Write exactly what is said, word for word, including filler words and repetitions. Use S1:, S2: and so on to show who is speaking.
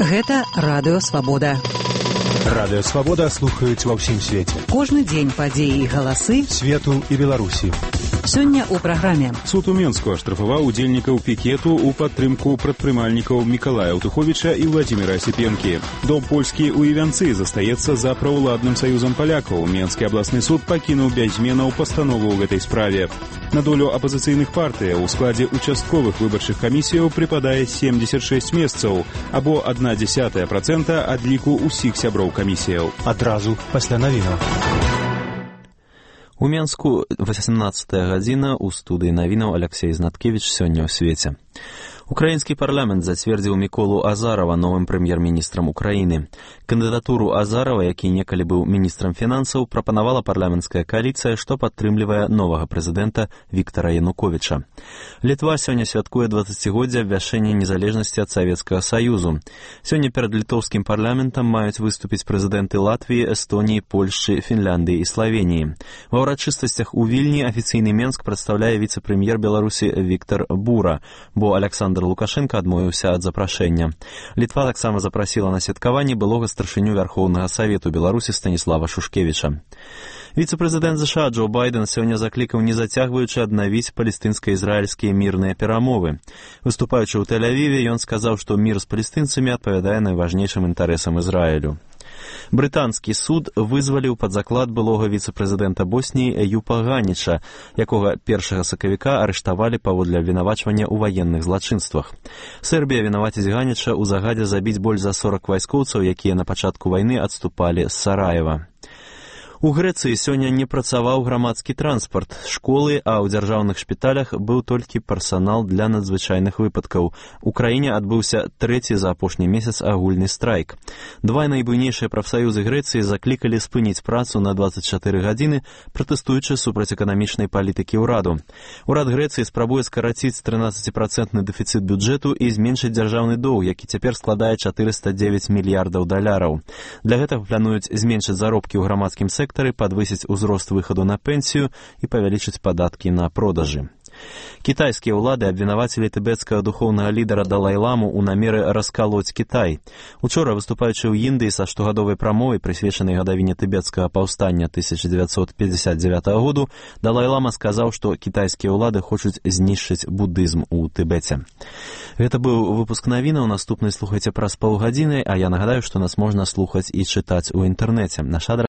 S1: Гэта Радыё Свабода.
S2: Радыё Свабода слухаюць ва ўсім свеце.
S1: Кожны дзень падзеі і галасы
S2: свету і Беларусі.
S1: Сёння ў праграме.
S3: Суд у Менску аштрафаваў удзельнікаў пікету ў падтрымку прадпрымальнікаў Мікалая Аўтуховіча і Владзіміра Асіпенкі. Дом польскі ў Івянцы застаецца за праўладным саюзам палякаў. Менскі абласны суд пакінуў без зменаў пастанову ў гэтай справе. На долю апазіцыйных партыяў у складзе участковых выбарчых камісіяў прыпадае семьдесят шесть месцаў, або адна дзесятая працэнта ад ліку ўсіх сяброў камісіяў.
S2: Адразу пасля навінаў.
S4: У Менску восемнадцатая гадзіна, у студыі навінаў Алексей Знаткевіч сёння ў свеце. Украінскі парламент зацвердзіў Міколу Азарова новым прэм'ер-міністрам Украіны. Кандыдатуру Азарова, які некалі быў міністрам фінансаў, прапанавала парламенцкая кааліцыя, што падтрымлівае новага прэзідэнта Віктара Януковіча. Літва сёння святкуе дваццацігоддзе абвяшчэння незалежнасці ад Савецкага Саюзу. Сёння перад літоўскім парламентам маюць выступіць прэзідэнты Латвіі, Эстоніі, Польшчы, Фінляндыі і Славеніі. Ва ўрачыстасцях у Вільні афіцыйны Менск прадстаўляе віцэ-прэм'ер Беларусі Віктар Бура, бо Александр Лукашенко адмовіўся ад запрашэння. Літва таксама запрасіла на святкаванне былога старшыню Вярхоўнага Савету Беларусі Станіслава Шушкевіча. Віцэ-прэзідэнт ЗША Джо Байден сёння заклікаў не зацягваючы аднавіць палестынска-ізраільскія мірныя перамовы. Выступаючы ў Тель-Авіве, ён сказаў, што мір з палестынцамі адпавядае найважнейшым інтарэсам Ізраілю. Брытанскі суд вызваліў пад заклад былога віцэ-прэзідэнта Босніі Эюпа Ганіча, якога першага сакавіка арыштавалі паводле абвінавачвання ў ваенных злачынствах. Сербія вінаваціць Ганіча ў загадзе забіць больш за сорок вайскоўцаў, якія на пачатку вайны адступалі з Сараева. У Грэцыі сёння не працаваў грамадскі транспарт, школы, а ў дзяржаўных шпіталях быў толькі персанал для надзвычайных выпадкаў. У краіне адбыўся трэці за апошні месяц агульны страйк. Два найбуйнейшыя прафсаюзы Грэцыі заклікалі спыніць працу на дваццаць чатыры гадзіны, пратэстуючы супраць эканамічнай палітыкі ўраду. Урад Грэцыі спрабуе скараціць трынаццаціпрацэнтны дэфіцыт бюджэту і зменшыць дзяржаўны доўг, які цяпер складае чатырыста дзевяць мільярдаў даляраў. Для гэтага плануюць зменшыць заробкі ў грамадскім сектары, падвысіць узрост выхаду на пенсію і павялічыць падаткі на продажы. Кітайскія ўлады абвінавацілі тыбецкага духоўнага лідара Далай-ламу ў намеры раскалоць Кітай. Учора, выступаючы ў Індыі са штогадовай прамовай, прысвечанай гадавіне тыбецкага паўстання тысяча дзевяцьсот пятьдесят девятого году, Далай-лама сказаў, што кітайскія ўлады хочуць знішчыць будызм у Тыбеце. Гэта быў выпуск навінаў, наступны слухайце праз паўгадзіны, а я нагадаю, што нас можна слухаць і чытаць у інтэрнэце. Наш адрас